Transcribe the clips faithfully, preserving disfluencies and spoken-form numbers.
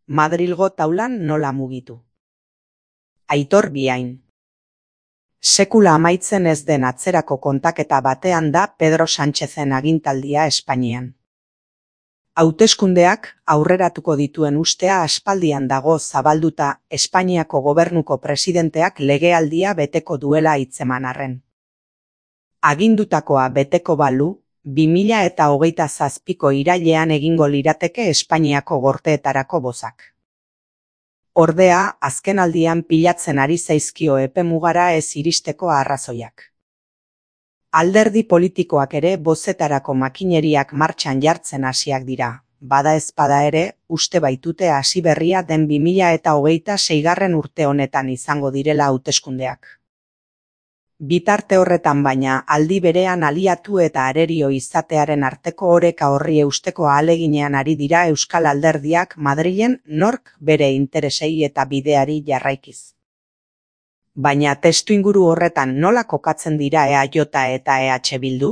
Madrilgo taulan nola mugitu. Aitor Biain. Sekula amaitzen ez den atzerako kontaketa batean da Pedro Sánchezen agintaldia Espainian. Hauteskundeak aurreratuko dituen ustea aspaldian dago zabalduta Espainiako gobernuko presidenteak legealdia beteko duela hitzeman arren. Agindutakoa beteko balu, bi mila eta hogeita zazpiko irailean egingo lirateke Espainiako gorteetarako bozak. Ordea, azkenaldian pilatzen ari zaizkio epemugara ez iristeko arrazoiak. Alderdi politikoak ere bozetarako makineriak martxan jartzen hasiak dira, bada ezpada ere, uste baitute hasi berria den bi mila eta hogeita seigarren urte honetan izango direla hauteskundeak. Bitarte horretan baina aldi berean aliatu eta arerio izatearen arteko oreka horri eusteko ahaleginean ari dira euskal alderdiak Madrilen nork bere interesei eta bideari jarraikiz. Baina testuinguru horretan nola kokatzen dira E A J eta E H Bildu?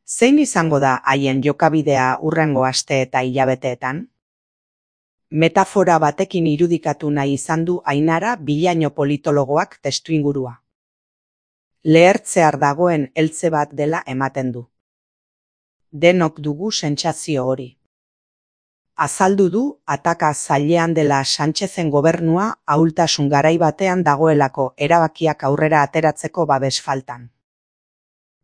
Zein izango da haien jokabidea hurrengo aste eta hilabeteetan? Metafora batekin irudikatu nahi izan du Ainara Bilaino politologoak testuingurua. Lehertzear dagoen heltze bat dela ematen du. Denok dugu sentsazio hori. Azaldu du ataka zailean dela Sánchezen gobernua ahultasun garai batean dagoelako erabakiak aurrera ateratzeko babes faltan.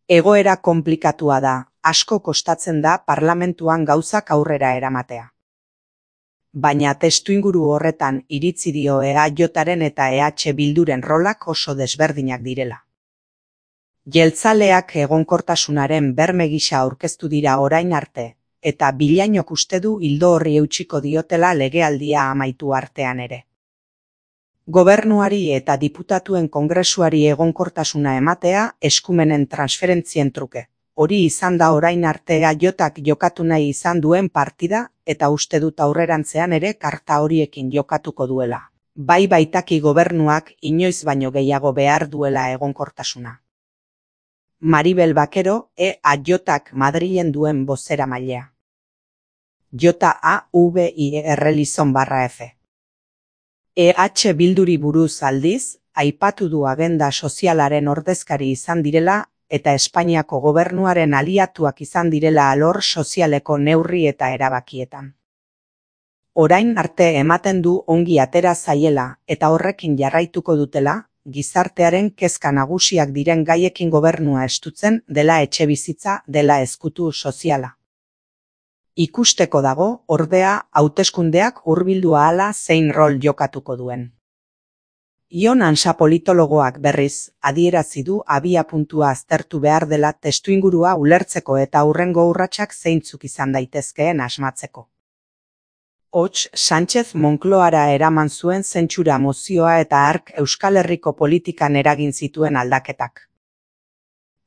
Egoera konplikatua da, asko kostatzen da parlamentuan gauzak aurrera eramatea. Baina testuinguru horretan iritzi dio E A Jaren eta E H Bilduren rolak oso desberdinak direla. Jeltzaleak egonkortasunaren berme gisa aurkeztu dira orain arte, eta Bilainok uste du ildo horri eutsiko diotela legealdia amaitu artean ere. Gobernuari eta diputatuen kongresuari egonkortasuna ematea eskumenen transferentzien truke. Hori izan da orain arte E A Jak jokatu nahi izan duen partida, eta uste dut aurrerantzean ere karta horiekin jokatuko duela. Bai baitaki gobernuak inoiz baino gehiago behar duela egonkortasuna. Maribel Bakero, E A Jak Madrilen duen bozeramailea. J A V I R Lizon barra F. E H Bilduri buruz aldiz, aipatu du agenda sozialaren ordezkari izan direla eta Espainiako gobernuaren aliatuak izan direla alor sozialeko neurri eta erabakietan. Orain arte ematen du ongi atera zaiela eta horrekin jarraituko dutela, gizartearen kezka nagusiak diren gaiekin gobernua estutzen dela etxebizitza dela ezkutu soziala. Ikusteko dago, ordea, hauteskundeak hurbildu ahala zein rol jokatuko duen. Ion Ansa politologoak berriz, adierazi du abiapuntua aztertu behar dela testuingurua ulertzeko eta hurrengo urratsak zeintzuk izan daitezkeen asmatzeko. Hots, Sánchez Moncloara eraman zuen zentsura mozioa eta hark Euskal Herriko politikan eragin zituen aldaketak.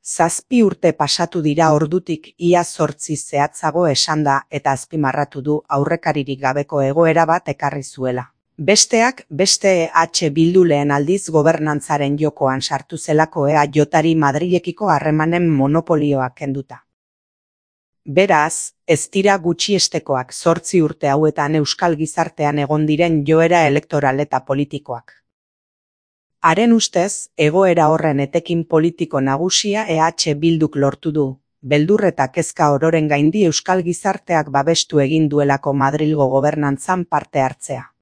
Zazpi urte pasatu dira ordutik ia zortzi zehatzago esanda eta azpimarratu du aurrekaririk gabeko egoera bat ekarri zuela. Besteak, beste E H Bildu lehen aldiz gobernantzaren jokoan sartu zelako E A Jari Madrilekiko harremanen monopolioak kenduta. Beraz, ez dira gutxiestekoak zortzi urte hauetan euskal gizartean egon diren joera elektoral eta politikoak. Haren ustez, egoera horren etekin politiko nagusia E H Bilduk lortu du, beldur eta kezka ororen gaindi euskal gizarteak babestu egin duelako Madrilgo gobernantzan parte hartzea.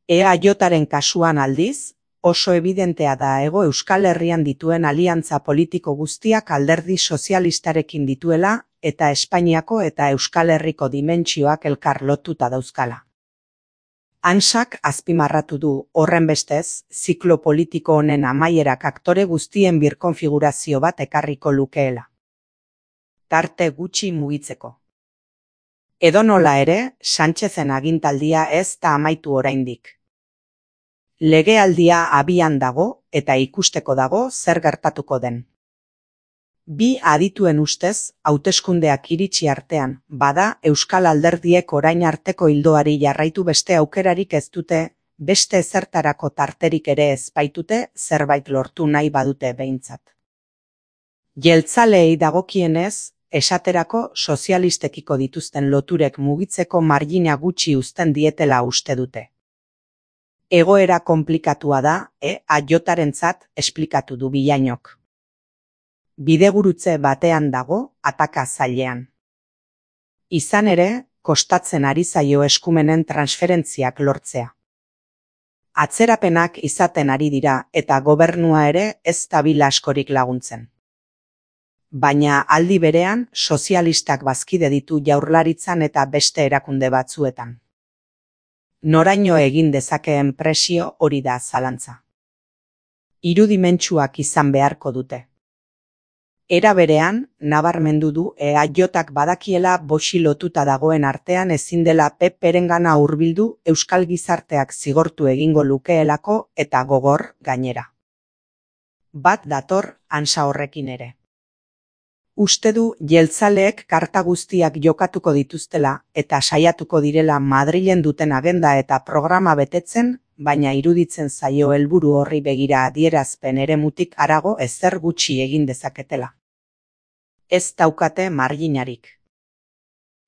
E A Jaren kasuan aldiz, oso evidentea da Hego Euskal Herrian dituen aliantza politiko guztiak alderdi sozialistarekin dituela eta Espainiako eta Euskal Herriko dimentsioak elkar lotuta dauzkala. Ansak azpimarratu du, horrenbestez, ziklo politiko honen amaierak aktore guztien birkonfigurazio bat ekarriko lukeela. Tarte gutxi mugitzeko. Edonola ere, Sánchezen agintaldia ez da amaitu oraindik. Legealdia abian dago eta ikusteko dago zer gertatuko den. Bi adituen ustez, hauteskundeak iritsi artean, bada euskal alderdiek orain arteko ildoari jarraitu beste aukerarik ez dute, beste ezertarako tarterik ere ez baitute zerbait lortu nahi badute behintzat. Jeltzaleei dagokienez, esaterako sozialistekiko dituzten loturek mugitzeko margina gutxi uzten dietela uste dute. Egoera konplikatua da, E A J-arentzat esplikatu du Villañok. Bidegurutze batean dago, ataka zailean. Izan ere, kostatzen ari zaio eskumenen transferentziak lortzea. Atzerapenak izaten ari dira eta gobernua ere ez dabil askorik laguntzen. Baina aldi berean sozialistak bazkide ditu Jaurlaritzan eta beste erakunde batzuetan. Noraino egin dezakeen presio hori da zalantza. Irudimentsuak izan beharko dute. Era berean, nabarmendu du E A J-ak badakiela boxi lotuta dagoen artean ezin dela P P-rengana hurbildu euskal gizarteak zigortu egingo lukeelako eta gogor gainera. Bat dator ansa horrekin ere. Uste du jeltzaleek karta guztiak jokatuko dituztela eta saiatuko direla Madrilen duten agenda eta programa betetzen, baina iruditzen zaio helburu horri begira adierazpen eremutik harago ezer gutxi egin dezaketela. Ez daukate marginarik.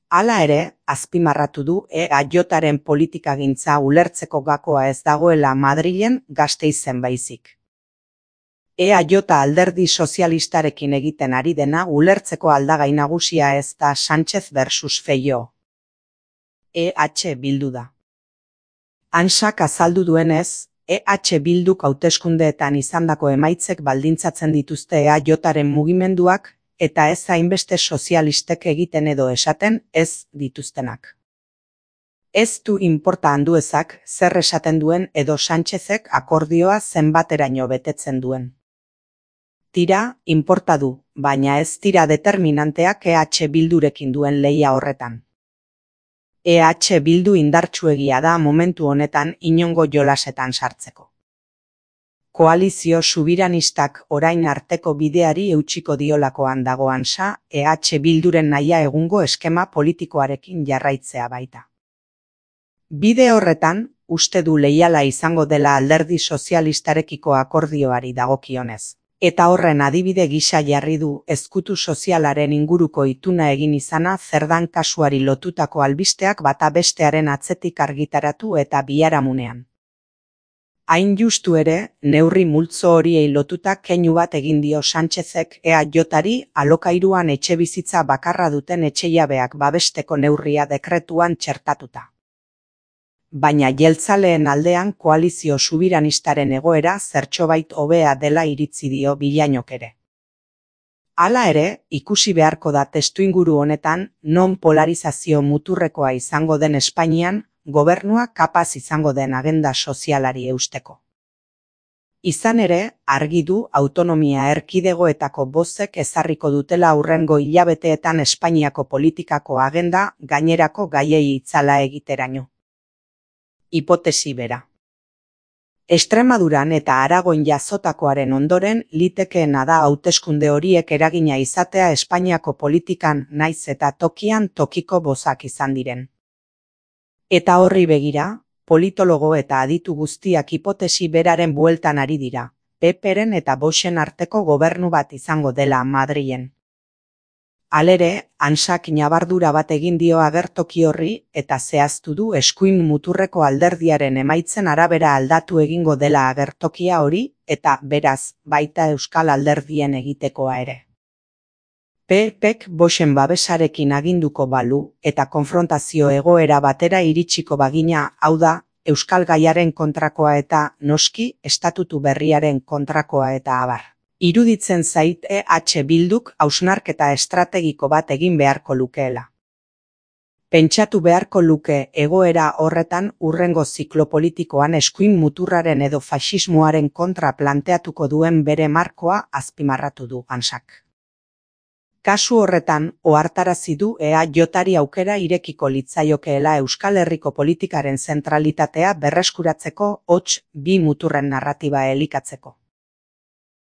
Hala ere, azpimarratu du E A J-aren politikagintza ulertzeko gakoa ez dagoela Madrilen Gasteizen baizik. E A J alderdi sozialistarekin egiten ari dena ulertzeko aldagai nagusia ez da Sánchez versus Feijóo. E H Bildu da. Ansak azaldu duenez, E H Bilduk hauteskundeetan izandako emaitzek baldintzatzen dituzte E A J-aren mugimenduak eta ez hainbeste sozialistek egiten edo esaten ez dituztenak. Ez du inporta handuezak zer esaten duen edo Sánchezek akordioa zenbateraino betetzen duen. Tira, inporta du, baina ez dira determinanteak E H Bildurekin duen lehia horretan. E H Bildu indartsuegia da momentu honetan inongo jolasetan sartzeko. Koalizio subiranistak orain arteko bideari eutsiko diolakoan dagoan sa, E H Bilduren nahia egungo eskema politikoarekin jarraitzea baita. Bide horretan, uste du leiala izango dela alderdi sozialistarekiko akordioari dagokionez. Eta horren adibide gisa jarri du ezkutu sozialaren inguruko ituna egin izana zerdan kasuari lotutako albisteak bata bestearen atzetik argitaratu eta biharamunean. Hain justu ere, neurri multzo horiei lotuta keinu bat egin dio Sánchezek E A J-ari alokairuan etxebizitza bakarra duten etxeiabeak babesteko neurria dekretuan txertatuta. Baina jeltzaleen aldean koalizio subiranistaren egoera zertxobait hobea dela iritzi dio Villañok ere. Hala ere, ikusi beharko da testuinguru honetan non polarizazio muturrekoa izango den Espainian, gobernua kapaz izango den agenda sozialari eusteko. Izan ere, argi du autonomia erkidegoetako bozek ezarriko dutela hurrengo hilabeteetan Espainiako politikako agenda gainerako gaiei itzala egiteraino. Hipotesi bera. Extremaduran eta Aragon jazotakoaren ondoren litekeena da hauteskunde horiek eragina izatea Espainiako politikan naiz eta tokian tokiko bozak izan diren. Eta horri begira, politologo eta aditu guztiak hipotesi beraren bueltan ari dira, P P-ren eta Voxen arteko gobernu bat izango dela Madrilen. Halere, Ansak ñabardura bat egin dio agertoki horri eta zehaztu du eskuin muturreko alderdiaren emaitzen arabera aldatu egingo dela agertokia hori eta beraz baita euskal alderdien egitekoa ere. P Pek Voxen babesarekin aginduko balu eta konfrontazio egoera batera iritsiko bagina, hau da, euskal gaiaren kontrakoa eta noski estatutu berriaren kontrakoa eta abar. Iruditzen zait E H Bilduk hausnarketa estrategiko bat egin beharko lukeela. Pentsatu beharko luke egoera horretan hurrengo ziklo politikoan eskuin muturraren edo faxismoaren kontra planteatuko duen bere markoa azpimarratu du Ansak. Kasu horretan, ohartarazi du E A J-ari aukera irekiko litzaiokeela Euskal Herriko politikaren zentralitatea berreskuratzeko hots bi muturren narratiba elikatzeko.